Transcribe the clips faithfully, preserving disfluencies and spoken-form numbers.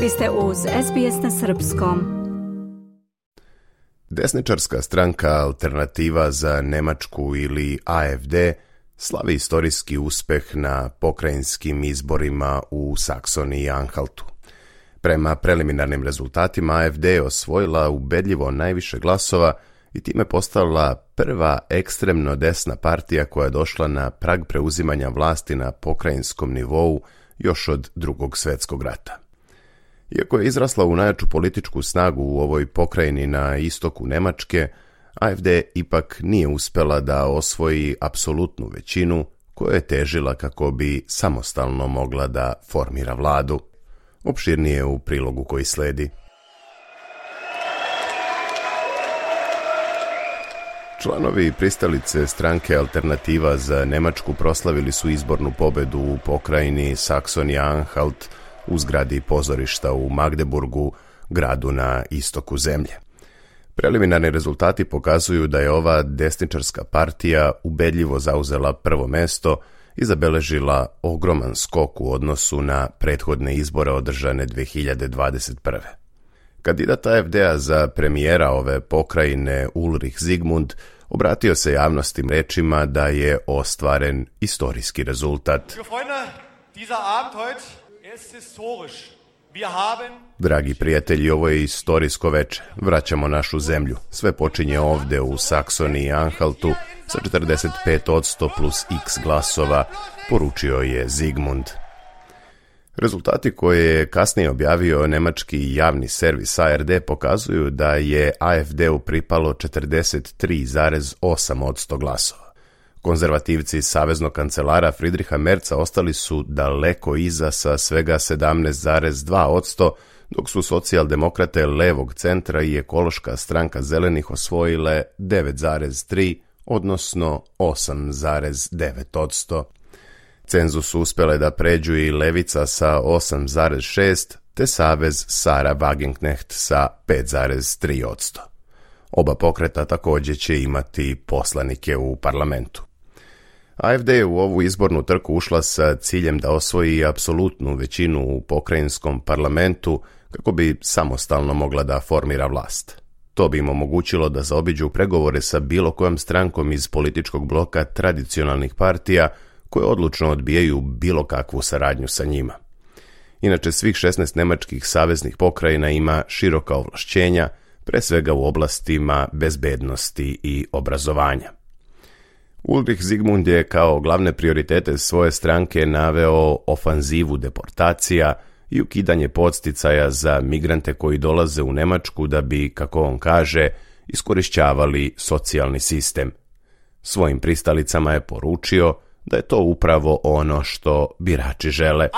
Vi ste uz S B S na srpskom. Desničarska stranka Alternativa za Nemačku ili A F D slavi istorijski uspeh na pokrajinskim izborima u Saksoniji i Anhaltu. Prema preliminarnim rezultatima A F D je osvojila ubedljivo najviše glasova i time postala prva ekstremno desna partija koja je došla na prag preuzimanja vlasti na pokrajinskom nivou još od Drugog svjetskog rata. Iako je izrasla u najjaču političku snagu u ovoj pokrajini na istoku Nemačke, A F D ipak nije uspjela da osvoji apsolutnu većinu koja je težila kako bi samostalno mogla da formira vladu. Opširnije u prilogu koji sledi. Članovi pristalice stranke Alternativa za Nemačku proslavili su izbornu pobedu u pokrajini Saksonija-Anhalt u zgradi pozorišta u Magdeburgu, gradu na istoku zemlje. Preliminarni rezultati pokazuju da je ova desničarska partija ubedljivo zauzela prvo mesto i zabeležila ogroman skok u odnosu na prethodne izbore održane dve hiljade dvadeset prve. Kandidat A F D-a za premijera ove pokrajine Ulrich Zygmunt obratio se javnosti rečima da je ostvaren istorijski rezultat. Dragi prijatelji, ovo je istorijsko veče. Vraćamo našu zemlju. Sve počinje ovde u Saksoniji i Anhaltu sa četrdeset pet posto plus x glasova, poručio je Zygmunt. Rezultati koje je kasnije objavio nemački javni servis A R D pokazuju da je A F D-u pripalo četrdeset tri zarez osam posto glasova. Konzervativci saveznog kancelara Friedricha Merza ostali su daleko iza sa svega sedamnaest zarez dva posto, dok su socijaldemokrate levog centra i ekološka stranka zelenih osvojile devet zarez tri, odnosno osam zarez devet posto. Cenzus su uspjele da pređu i levica sa osam zarez šest, te savez Sarah Wagenknecht sa pet zarez tri posto. Oba pokreta također će imati poslanike u parlamentu. A F D je u ovu izbornu trku ušla sa ciljem da osvoji apsolutnu većinu u pokrajinskom parlamentu kako bi samostalno mogla da formira vlast. To bi im omogućilo da zaobiđu pregovore sa bilo kojom strankom iz političkog bloka tradicionalnih partija koje odlučno odbijaju bilo kakvu saradnju sa njima. Inače, svih šesnaest nemačkih saveznih pokrajina ima široka ovlašćenja, pre svega u oblastima bezbednosti i obrazovanja. Ulrich Zygmunt je kao glavne prioritete svoje stranke naveo ofanzivu deportacija i ukidanje podsticaja za migrante koji dolaze u Nemačku da bi, kako on kaže, iskorišćavali socijalni sistem. Svojim pristalicama je poručio da je to upravo ono što birači žele.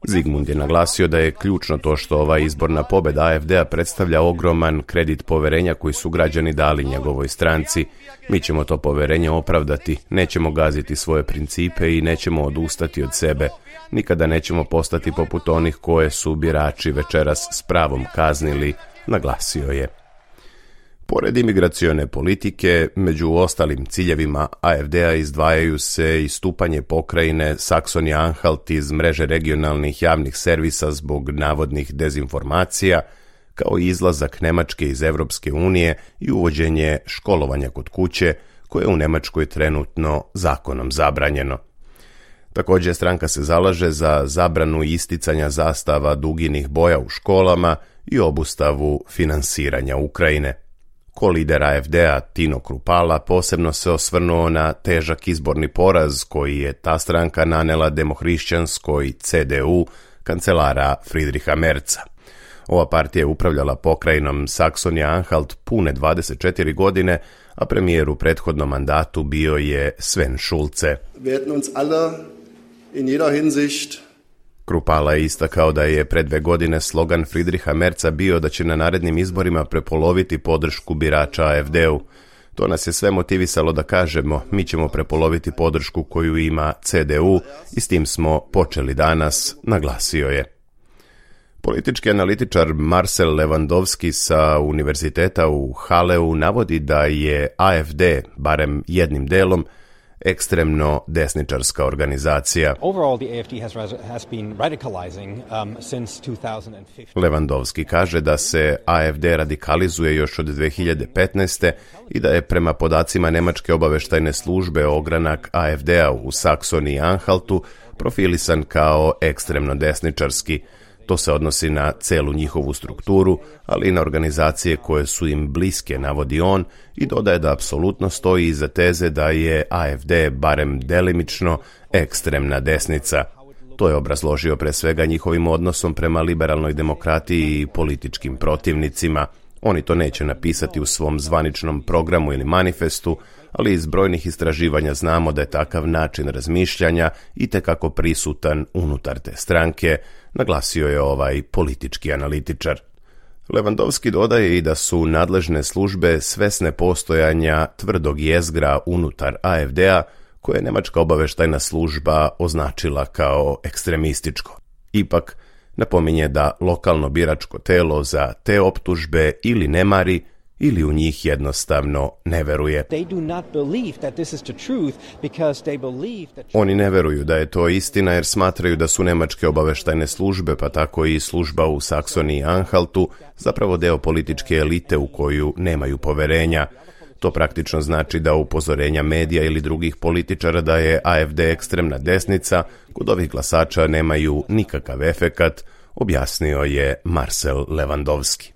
Zygmunt je naglasio da je ključno to što ova izborna pobjeda A F D-a predstavlja ogroman kredit poverenja koji su građani dali njegovoj stranci. Mi ćemo to poverenje opravdati, nećemo gaziti svoje principe i nećemo odustati od sebe. Nikada nećemo postati poput onih koje su birači večeras s pravom kaznili, naglasio je. Pored imigracione politike, među ostalim ciljevima A F D-a izdvajaju se istupanje pokrajine Saksonija-Anhalt iz mreže regionalnih javnih servisa zbog navodnih dezinformacija, kao i izlazak Nemačke iz Evropske unije i uvođenje školovanja kod kuće, koje je u Nemačkoj trenutno zakonom zabranjeno. Također stranka se zalaže za zabranu isticanja zastava duginih boja u školama i obustavu finansiranja Ukrajine. Ko lider A F D-a Tino Kruppala posebno se osvrnuo na težak izborni poraz koji je ta stranka nanela demohrišćanskoj C D U kancelara Friedricha Merza. Ova partija je upravljala pokrajinom Saksonija-Anhalt pune dvadeset četiri godine, a premijer u prethodnom mandatu bio je Sven Schulze. Kruppala je istakao da je pred dve godine slogan Friedricha Merza bio da će na narednim izborima prepoloviti podršku birača A F D-u. To nas je sve motivisalo da kažemo, mi ćemo prepoloviti podršku koju ima C D U i s tim smo počeli danas, naglasio je. Politički analitičar Marcel Lewandowski sa univerziteta u Halleu navodi da je A F D, barem jednim delom, ekstremno desničarska organizacija. Lewandowski kaže da se A F D radikalizuje još od dve hiljade petnaeste. i da je prema podacima Nemačke obaveštajne službe ogranak A F D-a u Saksoniji i Anhaltu profilisan kao ekstremno desničarski. To se odnosi na celu njihovu strukturu, ali i na organizacije koje su im bliske, navodi on, i dodaje da apsolutno stoji iza teze da je A F D barem delimično ekstremna desnica. To je obrazložio pre svega njihovim odnosom prema liberalnoj demokratiji i političkim protivnicima. Oni to neće napisati u svom zvaničnom programu ili manifestu, ali iz brojnih istraživanja znamo da je takav način razmišljanja itekako prisutan unutar te stranke, naglasio je ovaj politički analitičar. Lewandowski dodaje i da su nadležne službe svesne postojanja tvrdog jezgra unutar A F D-a, koje je Nemačka obaveštajna služba označila kao ekstremističko. Ipak, napominje da lokalno biračko telo za te optužbe ili ne mari, ili u njih jednostavno ne veruje. Oni ne veruju da je to istina jer smatraju da su nemačke obaveštajne službe, pa tako i služba u Saksoniji i Anhaltu, zapravo deo političke elite u koju nemaju poverenja. To praktično znači da upozorenja medija ili drugih političara da je A F D ekstremna desnica kod ovih glasača nemaju nikakav efekat, objasnio je Marcel Lewandowski.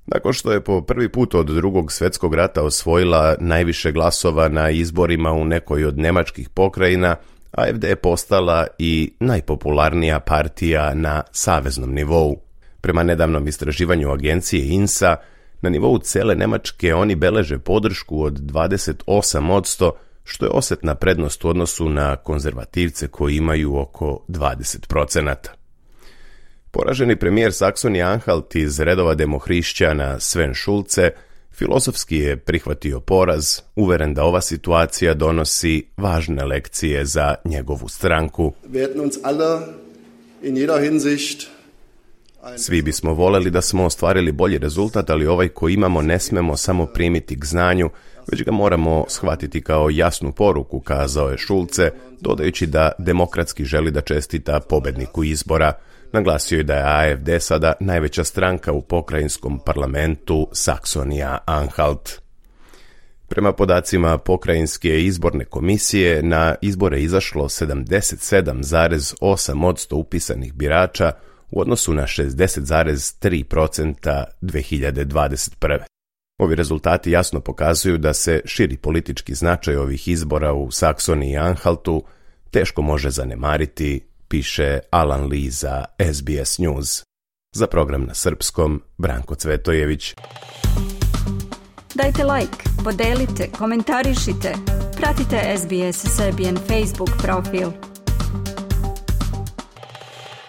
Nakon što je po prvi put od drugog svjetskog rata osvojila najviše glasova na izborima u nekoj od nemačkih pokrajina, A F D je postala i najpopularnija partija na saveznom nivou. Prema nedavnom istraživanju agencije I N S A, na nivou cele Nemačke oni beleže podršku od dvadeset osam posto, što je osetna prednost u odnosu na konzervativce koji imaju oko dvadeset procenata. Poraženi premijer Saksonije Anhalt iz redova demohrišćana Sven Schulze filozofski je prihvatio poraz, uveren da ova situacija donosi važne lekcije za njegovu stranku. Svi bismo voleli da smo ostvarili bolji rezultat, ali ovaj koji imamo ne smemo samo primiti k znanju, već ga moramo shvatiti kao jasnu poruku, kazao je Schulze, dodajući da demokratski želi da čestita pobedniku izbora. Naglasio je da je A F D sada najveća stranka u pokrajinskom parlamentu Saksonija-Anhalt. Prema podacima pokrajinske izborne komisije, na izbore izašlo sedamdeset sedam zarez osam posto upisanih birača u odnosu na šezdeset zarez tri posto dve hiljade dvadeset prve. Ovi rezultati jasno pokazuju da se širi politički značaj ovih izbora u Saksoniji i Anhaltu teško može zanemariti, piše Alan Lee za S B S News. Za program na srpskom, Branko Cvetojević. Dajte like, podelite, komentarišite, pratite S B S Serbian Facebook profil.